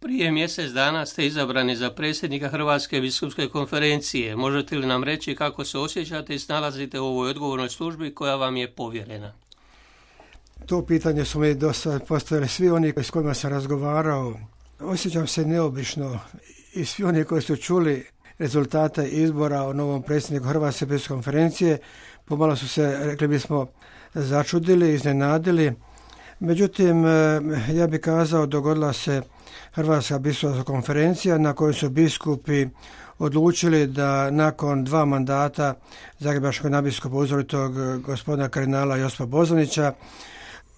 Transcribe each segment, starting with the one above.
Prije mjesec dana ste izabrani za predsjednika Hrvatske biskupske konferencije. Možete li nam reći kako se osjećate i snalazite u ovoj odgovornoj službi koja vam je povjerena? To pitanje su mi dosta postavili svi oni s kojima sam razgovarao. Osjećam se neobično i svi oni koji su čuli rezultate izbora o novom predsjedniku Hrvatske biskupske konferencije pomalo su se, rekli bismo, začudili, iznenadili. Međutim, ja bih kazao, dogodila se Hrvatska biskupska konferencija na kojoj su biskupi odlučili da nakon 2 mandata zagrebačkog nadbiskupa uzoritog gospodina kardinala Josipa Bozanića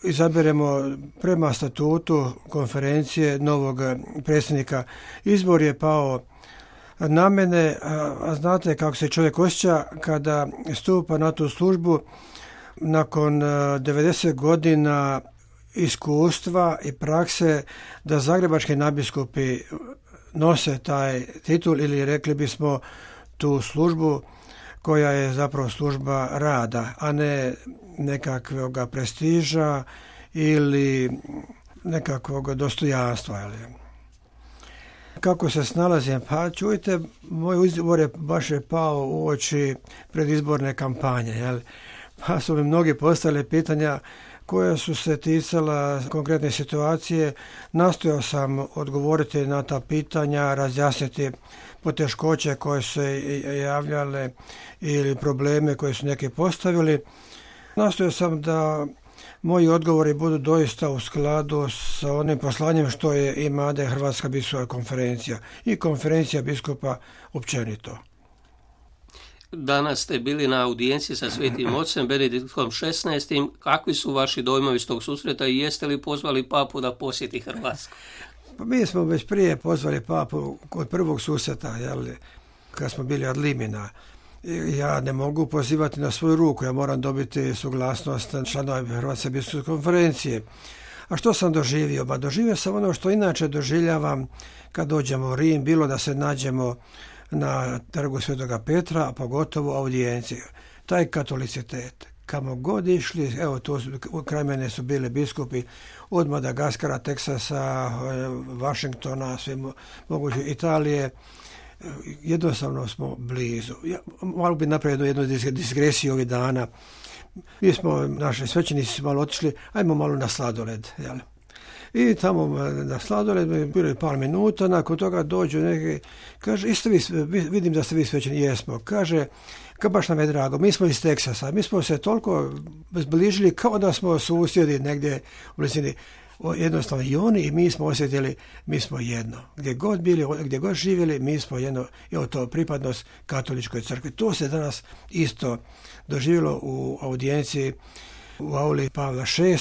izaberemo prema statutu konferencije novog predsjednika. Izbor je pao na mene, a znate kako se čovjek osjeća kada stupa na tu službu nakon 90 godina iskustva i prakse da zagrebački nadbiskupi nose taj titul ili rekli bismo tu službu koja je zapravo služba rada, a ne nekakvog prestiža ili nekakvog dostojanstva. Kako se snalazim? Pa čujte, moj izbor je baš pao u oči predizborne kampanje. Pa su mi mnogi postavili pitanja koja su se ticala konkretne situacije. Nastojao sam odgovoriti na ta pitanja, razjasniti poteškoće koje su se javljale ili probleme koje su neki postavili. Nastojao sam da moji odgovori budu doista u skladu sa onim poslanjem što je imade Hrvatska biskupska konferencija i konferencija biskupa općenito. Danas ste bili na audijenciji sa Svetim Ocem Benediktom XVI. Kakvi su vaši dojmovi s tog susreta i jeste li pozvali papu da posjeti Hrvatsku? Pa mi smo već prije pozvali papu kod prvog susreta, kad smo bili ad limina. Ja ne mogu pozivati na svoju ruku, ja moram dobiti suglasnost članova Hrvatske biskupske konferencije. A što sam doživio? Ba doživio sam ono što inače doživljavam kad dođemo u Rim, bilo da se nađemo na trgu Svetoga Petra, a pogotovo audijencije. Taj katolicitet, kamo god išli, evo tu kraj mene su bili biskupi od Madagaskara, Teksasa, Vašingtona, sve moguće Italije, jednostavno smo blizu. Ja malo bi napravio jednu digresiju ovih dana. Mi smo, naši svećenici su malo otišli, ajmo malo na sladoled, I tamo na sladoled bilo je par minuta, nakon toga dođu neki, kaže, vidim da ste vi svećeni, jesmo. Kaže, baš nam je drago, mi smo iz Teksasa, mi smo se toliko zbližili kao da smo susjedi negdje u blizini. Jednostavno i oni i mi smo osjetili, mi smo jedno. Gdje god bili, gdje god živjeli, mi smo jedno. Evo to, pripadnost katoličkoj crkvi. To se danas isto doživjelo u audijenciji u auli Pavla VI.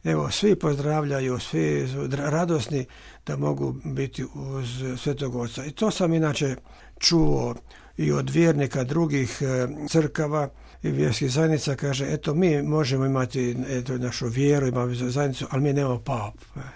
Evo, svi pozdravljaju, svi radosni da mogu biti uz Svetog Oca. I to sam inače čuo i od vjernika drugih crkava i vjerskih zajednica. Kaže, eto, mi možemo imati našu vjeru, imamo zajednicu, ali mi nemamo papu.